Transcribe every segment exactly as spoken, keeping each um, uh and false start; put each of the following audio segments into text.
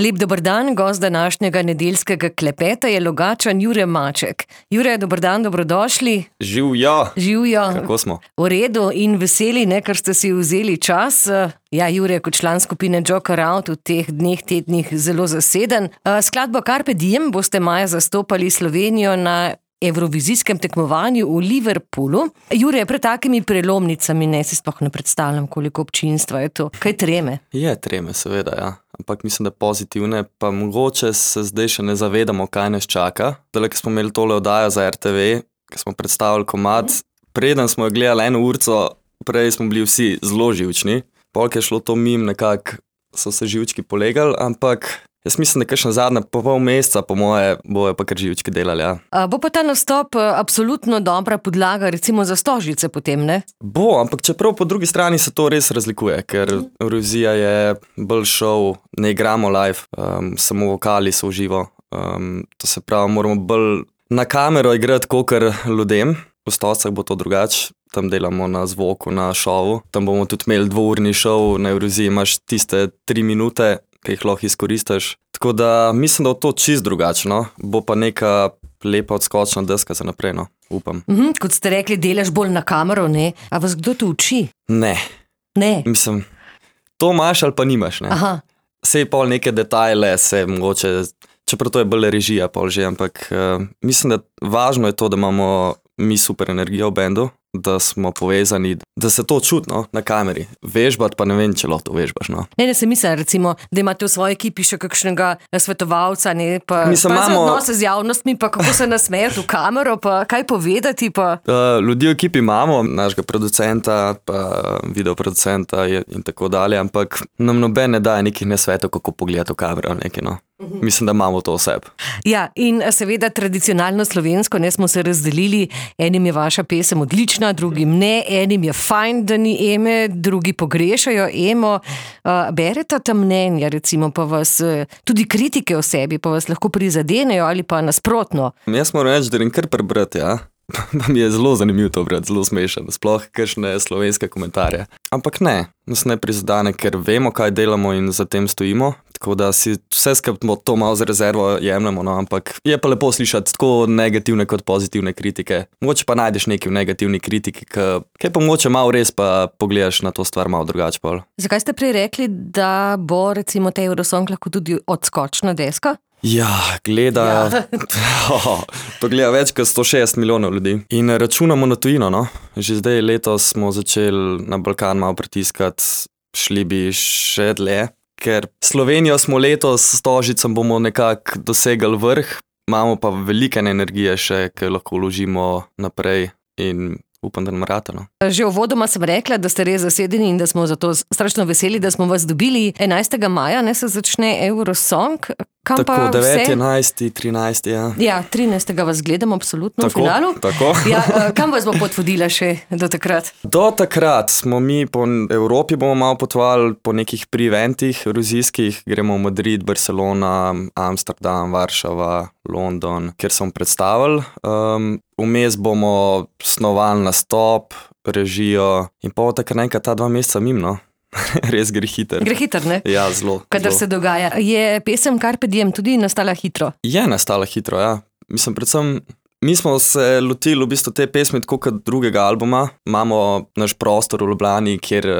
Lep dober dan, gost današnjega nedeljskega klepeta je Logatčan Jure Maček. Jure, dober dan, dobrodošli. Živjo. Živjo. Kako smo? V redu in veseli, ne, ker ste si vzeli čas. Ja, Jure, kot član skupine Joker Out v teh dneh, tednih zelo zaseden. Skladbo Carpe Diem boste maja zastopali Slovenijo na evrovizijskem tekmovanju v Liverpoolu. Jure, pred takimi prelomnicami ne si sploh ne predstavljam, koliko občinstva je to. Kaj treme? Je treme, seveda, ja. Ampak mislim, da pozitivne, pa mogoče se zdaj še ne zavedamo, kaj nas čaka. Zdaj, ko smo imeli tole oddajo za er te ve, ko smo predstavili komad, preden smo jo gledali eno urco, prej smo bili vsi zelo živčni. Polk je šlo to mim, nekako so se živčki polegali, ampak jaz mislim, da kakšna zadnja pol meseca, po moje, bojo pa kar živčki delali, ja. A bo pa ta nastop absolutno dobra podlaga, recimo za Stožice potem, ne? Bo, ampak čeprav po drugi strani se to res razlikuje, ker Eurovizija je bolj šov, ne igramo live, um, samo vokali so v živo. Um, to se pravi, moramo bolj na kamero igrati kakor ljudem. V Stocah bo to drugače, tam delamo na zvoku, na šovu. Tam bomo tudi imeli dvourni šov, na Euroviziji imaš tiste tri minute, ki jih lahko izkoristiš. Tako da mislim, da bo to čist drugačno. Bo pa neka lepa odskočna deska za naprej, no. Upam. Mhm, kot ste rekli, delaš bolj na kamero, ne? A vas kdo to uči? Ne. Ne? Mislim, to imaš ali pa nimaš, ne. Aha. Sej pol neke detajle se mogoče, čeprav to je bolj režija pol že, ampak uh, mislim, da važno je to, da imamo mi super energijo v bendu, da smo povezani, da se to čuti, no, na kameri. Vežbati pa ne vem, če lahko to vežbaš, no. Ne, ne se mislim, recimo, da imate v svoji ekipi še kakšnega svetovalca, ne, pa, Mislim, pa imamo- za odnose z javnostmi, pa kako se nasmejati v kamero, pa kaj povedati, pa... Uh, ljudi v ekipi imamo, našega producenta, pa videoproducenta in tako dalje, ampak nam noben ne daje nekih nasvetov, kako pogledati v kamero, nekaj, no. Mislim, da imamo to vse. Ja, in seveda tradicionalno slovensko, ne, smo se razdelili, enim je vaša pesem odlična, drugim ne, enim je fajn, da ni Eme, drugi pogrešajo Emo. Uh, berete ta mnenja, recimo, pa vas, uh, tudi kritike o sebi, pa vas lahko prizadenejo ali pa nasprotno. Jaz moram reči, da grem kar prebrati, ja. Pa mi je zelo zanimivo to brati, zelo smešen, sploh kakšne slovenske komentarje. Ampak ne, nas ne prizadene, ker vemo, kaj delamo in za tem stojimo, tako da si vse skupaj to malo za rezervo jemljemo, no, ampak je pa lepo slišati tako negativne kot pozitivne kritike. Mogoče pa najdeš nekaj v negativni kritiki, ki pa mogoče malo res pa pogledaš na to stvar malo drugače pol. Zakaj ste prej rekli, da bo recimo ta Eurosong lahko tudi odskočna deska? Ja, gleda, Ja. oh, to gleda več kot sto šestdeset milijonov ljudi. In računamo na tujino, no. Že zdaj letos smo začeli na Balkan malo pritiskati, šli bi še dlje, ker Slovenijo smo letos s Stožicem bomo nekako dosegali vrh, imamo pa veliko energije še, ki lahko vložimo naprej in upam, da nam rata, no. Že uvodoma sem rekla, da ste res zasedeni in da smo zato strašno veseli, da smo vas dobili. enajstega maja, ne, se začne Eurosong. Kam Tako, pa deveti, vse? enajsti, trinajsti, ja. Ja, trinajstega vas gledamo absolutno v Tako, finalu. tako. Ja, eh, kam vas bo pot vodila še do takrat? Do takrat smo mi po Evropi bomo malo potovali po nekih pre-eventih evrovizijskih, gremo v Madrid, Barcelona, Amsterdam, Varšava, London, kjer smo predstavili. Um, vmes bomo snovali nastop, režijo in pa takrat nekaj ta dva meseca mimo, no. Res gre hiter. Gre hitro, ne? Ja, zelo. Kadar zelo. se dogaja. Je pesem Carpe Diem tudi nastala hitro? Je nastala hitro, ja. Mislim, predvsem, mi smo se lotili v bistvu te pesmi tako kot drugega albuma. Imamo naš prostor v Ljubljani, kjer uh,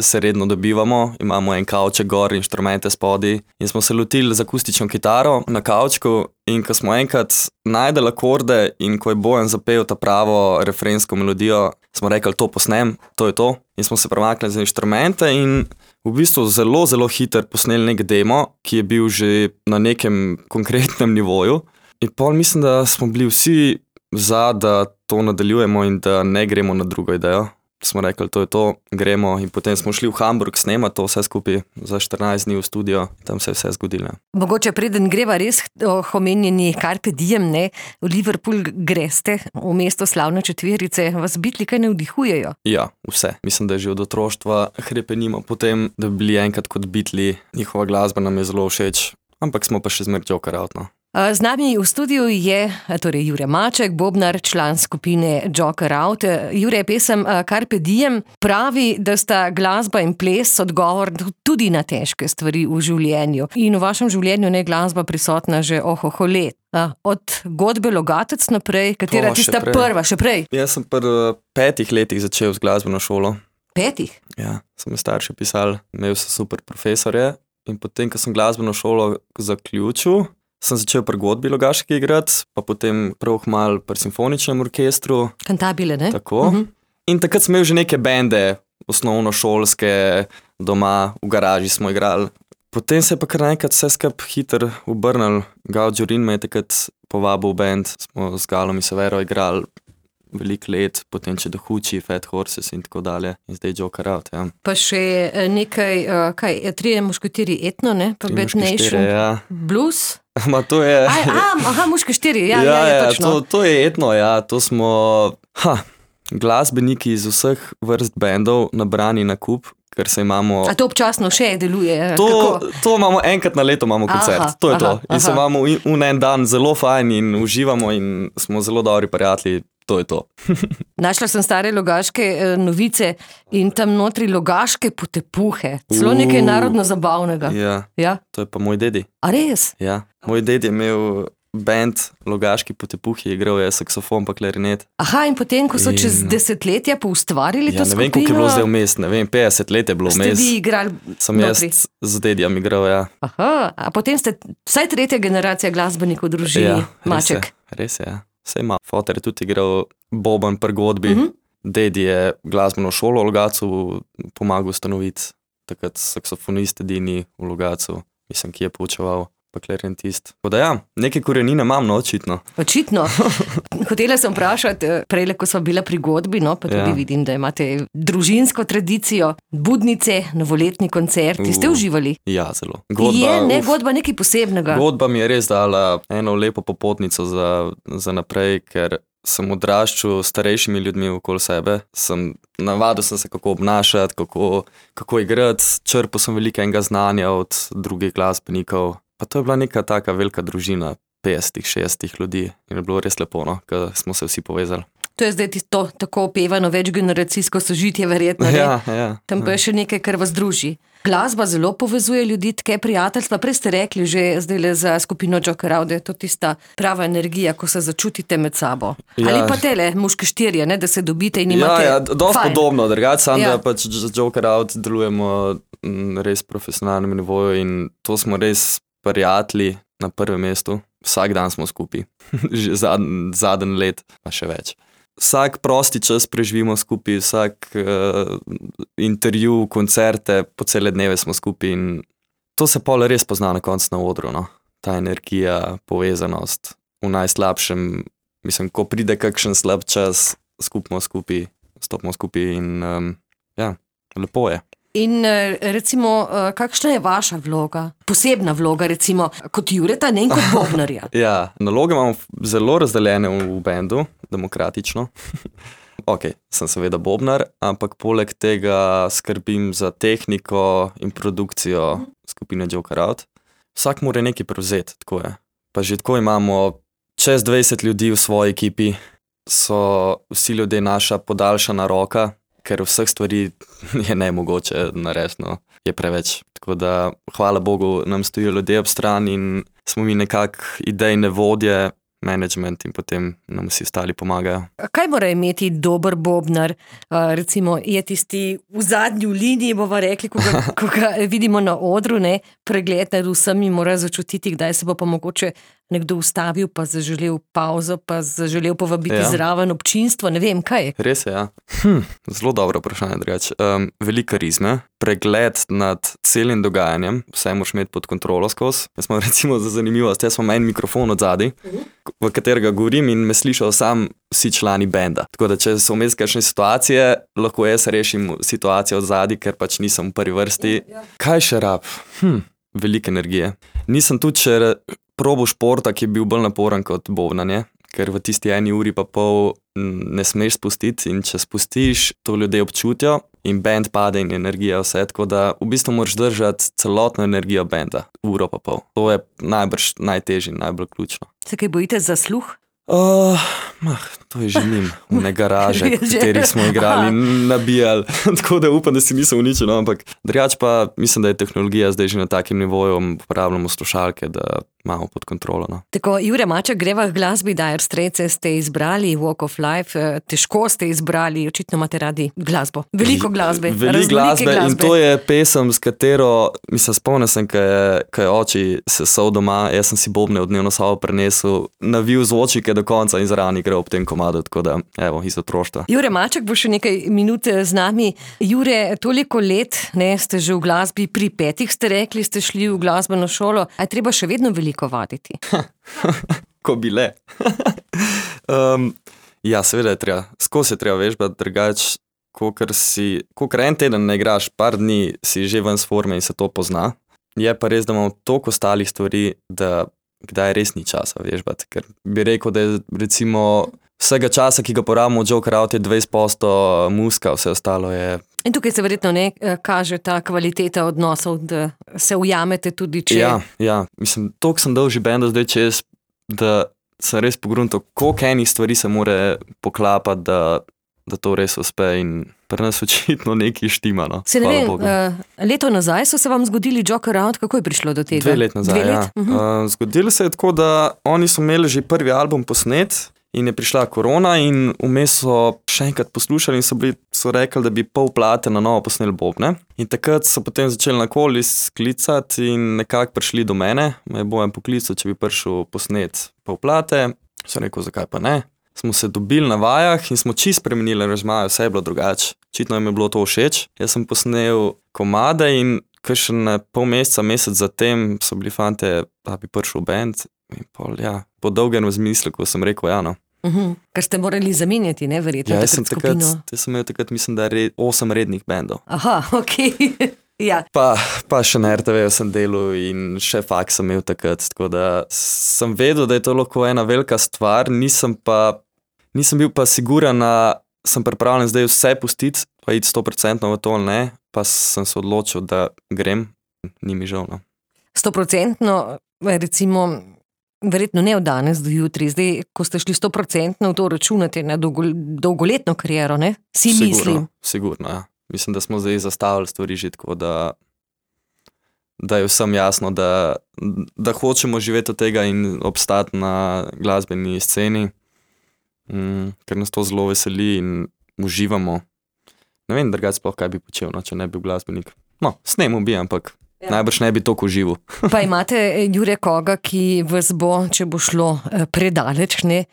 se redno dobivamo. Imamo en kavček gor, inštrumente spodaj. In smo se lotili z akustično kitaro na kavčku. In ko smo enkrat najdeli akorde in ko je Bojan zapel ta pravo refrensko melodijo, smo rekli, to posnem, to je to. In smo se premaknili za inštrumente in v bistvu zelo, zelo hiter posneli nek demo, ki je bil že na nekem konkretnem nivoju. In pol mislim, da smo bili vsi za, da to nadaljujemo in da ne gremo na drugo idejo. Smo rekli, to je to, gremo in potem smo šli v Hamburg snemati to vse skupaj za štirinajst dni v studio, tam se je vse zgodilo. Mogoče preden greva res o omenjeni Carpe Diem, ne, v Liverpool greste, v mesto slavne četverice, vas bitli kaj navdihujejo? Ja, vse. Mislim, da že od otroštva hrepenimo potem, da bi bili enkrat kot Beatli, njihova glasba nam je zelo všeč, ampak smo pa še zmer Joker Out, no. Z nami v studiu je torej Jure Maček, bobnar, član skupine Joker Out. Jure, pesem Carpe Diem pravi, da sta glasba in ples odgovor tudi na težke stvari v življenju. In v vašem življenju je glasba prisotna že ohoho let. Od godbe Logatec naprej, katera O, tista še prej. prva, še prej? Jaz sem pri petih letih začel z glasbeno šolo. Petih? Ja, so mi starši pisali, imel sem super profesorje in potem, ko sem glasbeno šolo zaključil, sem začel pri godbi Logaški igrati, pa potem prav malo pri simfoničnem orkestru. Kantabile, ne? Tako. Uh-huh. In takrat sem imel že neke bende, osnovnošolske, doma, v garaži smo igrali. Potem se je pa kar naenkrat vse skupaj hitro obrnil. Gal Džurin me je takrat povabil v band, smo z Galom in Severo igrali veliko let, potem Če Dohuči, Fat Horses in tako dalje. In zdaj Joker Out, ja. Pa še nekaj, kaj, trije mušketiri etno, ne? Pa Bad Nation, ja. Blues. Ma to je... Aj, a, aha, mušketiri, ja, ja, ja, ja, ja, točno. to, to je etno, ja, to smo... Ha, glasbeniki iz vseh vrst bendov nabrani na kup, ker se imamo... A to občasno še deluje? To, kako? to imamo enkrat na leto imamo koncert, Aha, to je aha, to. In se aha. imamo v en dan zelo fajn in uživamo in smo zelo dobri prijatelji, to je to. Našla sem stare logaške eh, novice in tam notri logaške potepuhe. Celo nekaj Uh. narodno zabavnega. Ja, Ja? to je pa moj dedi. A res? Ja. Moj ded je imel band Logaški potepuhi, igral je saksofon pa klarinet. Aha, in potem, ko so In- čez desetletja poustvarili Ja, to ne vem, skupino, koliko je bilo zdaj vmes, ne vem, petdeset let je bilo ste vmes. vi igrali Sem jaz notri. z dedjem igral, ja. Aha, a potem ste vsaj tretja generacija glasbenikov v družini, Ja, res je, Maček. res je, ja. Vse ima. Foter je tudi igral boben pri godbi. Mhm. Dedi je glasbeno šolo v Logatcu pomagal ustanoviti, takrat saksofonist edini v Logatcu, mislim, ki je poučeval, pa klarinetist. Tako da ja, neke korenine imam, no, očitno. Očitno. Hotela sem vprašati, prej, ko smo bila pri godbi, no, pa tudi Ja. vidim, da imate družinsko tradicijo, budnice, novoletni koncerti. Ste Uh, uživali? Ja, zelo. Je, ne, uf. godba nekaj posebnega. Godba mi je res dala eno lepo popotnico za, za naprej, ker sem odraščal s starejšimi ljudmi okoli sebe. Sem, navadil sem se, kako obnašati, kako, kako igrati. Črpal sem veliko enega znanja od drugih glasbenikov. Pa to je bila neka taka velika družina, petdeset, šestdeset ljudi. In je bilo res lepo, no, ker smo se vsi povezali. To je zdaj to tako opevano večgeneracijsko sožitje, verjetno. Ne? Ja, ja. Tam pa je še nekaj, kar vas druži. Glasba zelo povezuje ljudi, tke prijateljstva. Prej ste rekli že zdaj le za skupino Joker Out, da je to tista prava energija, ko se začutite med sabo. Ja. Ali pa tele, muške štirje, ne, da se dobite in Ja, imate ja, dosti fajn. podobno, drugače samo, Ja. da pač z Joker Out delujemo na res profesionalnem nivoju in to smo res prijatelji na prvem mestu. Vsak dan smo skupaj, že zadnji zadnji let, pa še več. Vsak prosti čas preživimo skupaj, vsak uh, intervju, koncerte, po cele dneve smo skupaj in to se pol res pozna na koncu na odru, no. Ta energija, povezanost v najslabšem, mislim, ko pride kakšen slab čas, skupimo skupaj, stopimo skupaj in um, ja, lepo je. In eh, recimo, eh, kakšna je vaša vloga? Posebna vloga, recimo, kot Jureta, ne in kot bobnarja. Ja, naloge imamo zelo razdeljene v, v bendu, demokratično. Ok, sem seveda bobnar, ampak poleg tega skrbim za tehniko in produkcijo skupine Joker Out. Vsak mora nekaj prevzeti, tako je. Pa že tako imamo čez dvajset ljudi v svoji ekipi, so vsi ljudje naša podaljšana roka, ker vseh stvari je nemogoče narediti, no, je preveč. Tako da, hvala Bogu, nam stojijo ljudje ob strani in smo mi nekako idejne vodje, management in potem nam vsi ostali pomagajo. Kaj mora imeti dober bobnar? Uh, recimo, je tisti v zadnji liniji, bova rekli, ko ga, ko ga vidimo na odru, ne, pregled nad vsemi mora začutiti, kdaj se bo pa mogoče nekdo ustavil, pa zaželel pauzo, pa zaželel povabiti Ja. zraven občinstvo, ne vem, kaj je. Res je, ja. Hm, zelo dobro vprašanje, drugače. Um, veliko karizme, pregled nad celim dogajanjem, vse moraš imeti pod kontrolo skozi. Jaz imam recimo za zanimivost, jaz imam en mikrofon od zadaj, v katerega govorim in me slišal sam vsi člani benda. Tako da, če so vmes kakšne situacije, lahko jaz rešim situacijo od zadaj, ker pač nisem v prvi vrsti. Kaj še rab? Hm, veliko energije. Nisem tudi še probo športa, ki je bil bolj naporen kot bobnanje, ker v tisti eni uri pa pol ne smeš spustiti in če spustiš, to ljudje občutijo in band pade in energija vse, tako da v bistvu moraš držati celotno energijo benda, uro pa pol. To je najbrž najtežje in najbolj ključno. Se kaj bojite za sluh? Uh, mah, to je že njim, v garaže, v katerih smo igrali in nabijali, tako da upam, da si nisem uničil, no, ampak drugače pa mislim, da je tehnologija zdaj že na takim nivoju, uporabljamo slušalke, da imamo pod kontrolo. No. Tako, Jure Maček, greva k glasbi, Dire Straits ste izbrali, Walk of Life, težko ste izbrali, očitno imate radi glasbo. Veliko glasbe. Veliko glasbe, glasbe in to je pesem, s katero, mislim, spomnil sem, ko je, ko je oči sesal doma, jaz sem si bobne v dnevno sobo prenesel, navil zvočike do konca in zraven igral ob tem komadu, tako da, evo, iz otroštva. Jure Maček bo še nekaj minut z nami. Jure, toliko let, ne, ste že v glasbi, pri petih ste rekli, ste šli v glasbeno šolo, a je treba še vedno veliko vaditi? Ko bi le. um, ja, seveda je treba, skozi je treba vežbati, drugače, kokor si, kokor en teden ne igraš, par dni si že ven s forme in se to pozna. Je pa res, da imamo toliko ostalih stvari, da kdaj res ni časa vežbati, ker bi rekel, da je recimo vsega časa, ki ga porabimo v Joker Out, je dvajset posto muska, vse ostalo je. In tukaj se verjetno ne kaže ta kvaliteta odnosov, da se ujamete tudi, če... Ja, ja, mislim, toliko sem dal že benda zdaj čez, da sem res pogruntal, koliko enih stvari se more poklapati, da, da to res uspe in pri nas očitno nekaj štima, no. Se ne vem, uh, leto nazaj so se vam zgodili Joker Out, kako je prišlo do tega? Dve let nazaj, Dve let? ja. Uh-huh. Uh, zgodilo se je tako, da oni so imeli že prvi album posnet, in je prišla korona in vmes so še enkrat poslušali in so, bili, so rekli, da bi pol plate na novo posneli bobne. In takrat so potem začeli nakoli sklicati in nekako prišli do mene. Me je Bojan poklical, če bi prišel posnet pol plate. So rekel, zakaj pa ne. Smo se dobili na vajah in smo čisto spremenili aranžmaje, vse je bilo drugače. Očitno jim je bilo to všeč. Jaz sem posnel komade in kakšen pol meseca, mesec zatem so bili fante, da bi prišel band. In pol, ja, po dolgem razmisleku sem rekel, ja, no. Uhum. Ker ste morali zamenjati, ne, verjetno, ja, takrat takrat, skupino. Jaz sem imel takrat, mislim, da red, osem rednih bendov. Aha, okej. Okay. Ja. Pa, pa še na er te ve sem delal in še faks sem imel takrat, tako da sem vedel, da je to lahko ena velika stvar, nisem pa, nisem bil pa siguran, da sem pripravljen zdaj vse pustiti, pa iti sto procentno v to ali ne, pa sem se odločil, da grem, ni mi žal, no. sto procentno, recimo, verjetno ne od danes do jutri, zdaj, ko ste šli sto procentno v to računate na dolgo, dolgoletno kariero, ne? Si sigurno, mislim. Sigurno, ja. Mislim, da smo zdaj zastavili stvari že tako, da, da je vsem jasno, da, da hočemo živeti od tega in obstati na glasbeni sceni, mm, ker nas to zelo veseli in uživamo. Ne vem, drugače sploh kaj bi počel, no, če ne bi bil glasbenik. No, snemu bi, ampak ja. Najbrž ne bi toliko užival. Pa imate, Jure, koga, ki vas bo, če bo šlo predaleč, ne,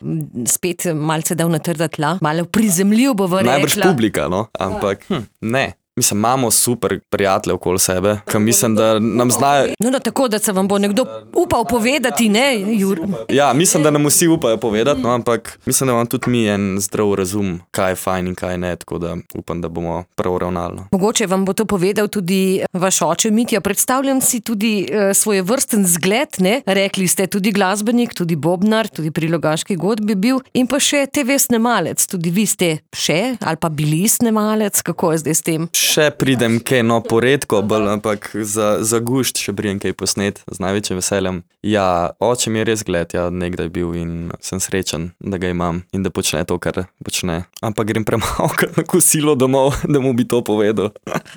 spet malce dal na trda tla, malo prizemljiv bo v rekla. Najbrž publika, no, ampak hm, ne. Mislim, imamo super prijatelje okoli sebe, ki mislim, da nam znajo... No, no, tako, da se vam bo nekdo upal povedati, ne, Jur? Ja, mislim, da nam vsi upajo povedati, no, ampak mislim, da imam tudi mi en zdrav razum, kaj je fajn in kaj ne, tako da upam, da bomo prav ravnali. No. Mogoče vam bo to povedal tudi vaš oče Mitja. Predstavljam si tudi uh, svoje vrsten zgled, ne? Rekli ste tudi glasbenik, tudi bobnar, tudi pri Logaški godbi bil in pa še te ve snemalec. Tudi vi ste še ali pa bili snemalec, kako je zdaj s tem? Še pridem kaj, no, poredko, bolj, ampak za, za gušt še pridem kaj posnet, z največjim veseljem. Ja, oče mi je res gled, ja, nekdaj bil in sem srečen, da ga imam in da počne to, kar počne. Ampak grem premalkrat na kosilo domov, da mu bi to povedal.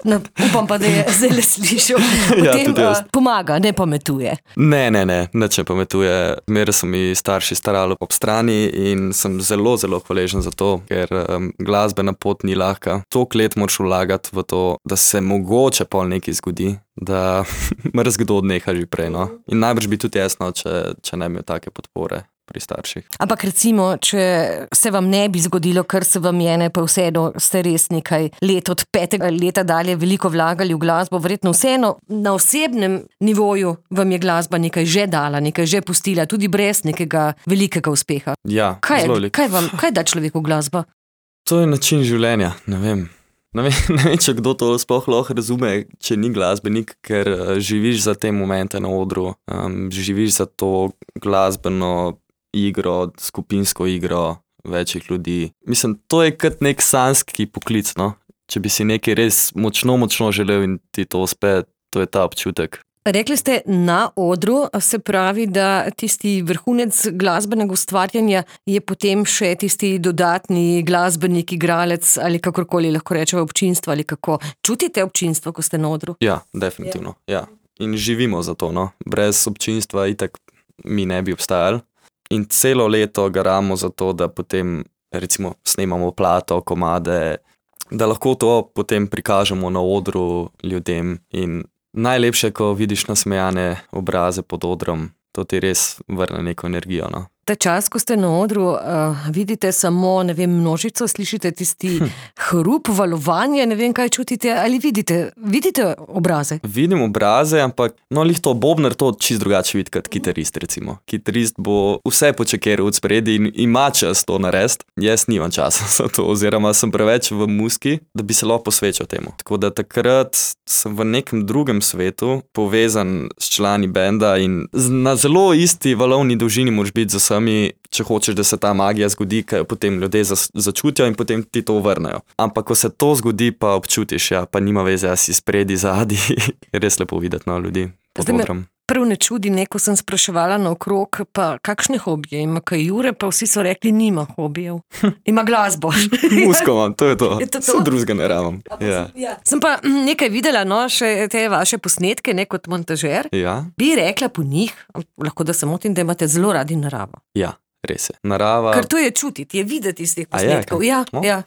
No, upam pa, da je zdaj slišal. Potem ja, pomaga, ne pametuje. Ne, ne, ne, nič ne pametuje. Mere so mi starši starali ob strani in sem zelo, zelo hvaležen za to, ker um, glasbena pot ni lahka. Toliko let moraš vlagati v to, da se mogoče pol nekaj zgodi, da mrzkdo odneha že prej, no. In najbrž bi tudi jasno, če, če ne imel take podpore pri starših. Ampak recimo, če se vam ne bi zgodilo, kar se vam je, ne, pa vseeno ste res nekaj let od petega leta dalje veliko vlagali v glasbo, verjetno vseeno na osebnem nivoju vam je glasba nekaj že dala, nekaj že pustila, tudi brez nekega velikega uspeha. Ja, kaj, zelo veliko. Kaj vam, kaj da človeku glasba? To je način življenja, ne vem. Ne vem, ne vem, če kdo to sploh lahko razume, če ni glasbenik, ker uh, živiš za te momente na odru, um, živiš za to glasbeno igro, skupinsko igro večjih ljudi. Mislim, to je kot nek sanski poklic, no? Če bi si nekaj res močno, močno želel in ti to uspe, to je ta občutek. Rekli ste na odru, se pravi, da tisti vrhunec glasbenega ustvarjanja je potem še tisti dodatni glasbenik, igralec ali kakorkoli lahko rečemo občinstvo ali kako. Čutite občinstvo, ko ste na odru? Ja, definitivno, ja. In živimo za to, no. Brez občinstva itak mi ne bi obstajali. In celo leto garamo za to, da potem recimo snemamo plato, komade, da lahko to potem prikažemo na odru ljudem in najlepše, ko vidiš nasmejane obraze pod odrom, to ti res vrne neko energijo, no. Ta čas, ko ste na odru, uh, vidite samo, ne vem, množico, slišite tisti hm. hrup, valovanje, ne vem, kaj čutite, ali vidite, vidite obraze? Vidim obraze, ampak no, lih to bobnar to čist drugače vidi kot kitarist, recimo. Kitarist bo vse počekeral od spredi in ima čas to narediti. Jaz nimam časa za to, oziroma sem preveč v muski, da bi se lahko posvečal temu. Tako da takrat sem v nekem drugem svetu povezan s člani benda in na zelo isti valovni dolžini moraš biti za vse. Mi, če hočeš, da se ta magija zgodi, kaj jo potem ljudje začutijo in potem ti to vrnejo. Ampak, ko se to zgodi, pa občutiš, ja, pa nima veze, ja si spredi, zadi, je res lepo videti na ljudi pod odrom. Prv ne čudi, neko sem spraševala naokrog, pa kakšne hobije ima kaj Jure, pa vsi so rekli, nima hobijev. Ima glasbo. Musko imam, to je to. Je to to? Sem drugega ne rabim. Ja. Ja. Sem pa nekaj videla, no, še te vaše posnetke, ne kot montažer. Ja. Bi rekla po njih, lahko da se motim, da imate zelo radi naravo. Ja, res je. Narava... Ker to je čutiti, je videti iz teh posnetkov. Ja, no? ja.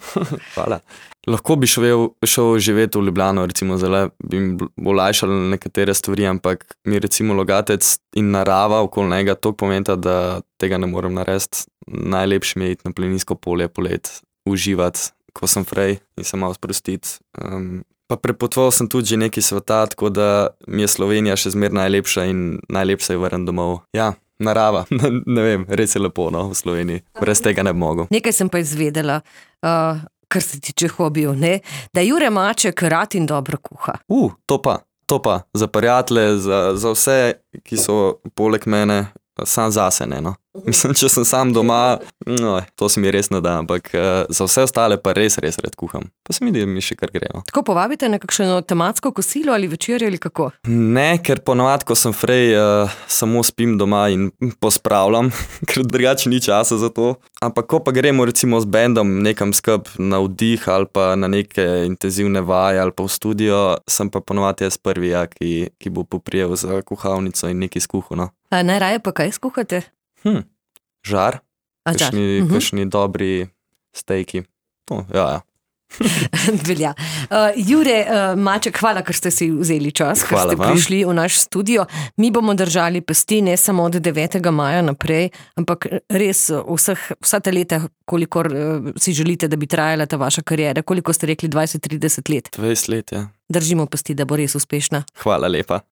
Hvala. Lahko bi šel, šel živeti v Ljubljano, recimo zelo bi mi olajšali nekatere stvari, ampak mi recimo Logatec in narava okoli njega toliko pomenta, da tega ne morem narediti. Najlepše mi je iti na planinsko polje polet, uživati, ko sem frej in se malo sprostiti. Um, pa prepotoval sem tudi že nekaj sveta, tako da mi je Slovenija še zmer najlepša in najlepša je vrn domov. Ja, narava, ne vem, res je lepo, no, v Sloveniji. Brez tega ne bi mogel. Nekaj sem pa izvedela. Uh... kar se tiče hobijev, ne? Da Jure Maček rad in dobro kuha. Uh, to pa, to pa, za prijatelje, za, za vse, ki so poleg mene, sam zase ne, no. Mislim, če sem sam doma, no, to se mi res ne da, ampak uh, za vse ostale pa res, res red kuham. Pa se mi da mi še kar gre, no. Tako povabite na kakšno tematsko kosilo ali večerjo ali kako? Ne, ker ponovadi, ko sem frej, uh, samo spim doma in pospravljam, ker drugače ni časa za to. Ampak ko pa gremo recimo z bendom nekam skup na vdih ali pa na neke intenzivne vaje ali pa v studio, sem pa ponovadi jaz prvi, ja, ki, ki bo poprijel za kuhalnico in nekaj skuhal, no. A najraje pa kaj skuhate? Hm, žar, A, kakšni, žar. Uh-huh. kakšni dobri stejki. No, ja, ja. Velja. Uh, Jure uh, Maček, hvala, ker ste si vzeli čas, ker Hvala ste vam. prišli v naš studio. Mi bomo držali pesti ne samo od devetega maja naprej, ampak res vseh, vsa ta leta, kolikor uh, si želite, da bi trajala ta vaša karijera, koliko ste rekli, dvajset trideset let. dvajset let, ja. Držimo pesti, da bo res uspešna. Hvala lepa.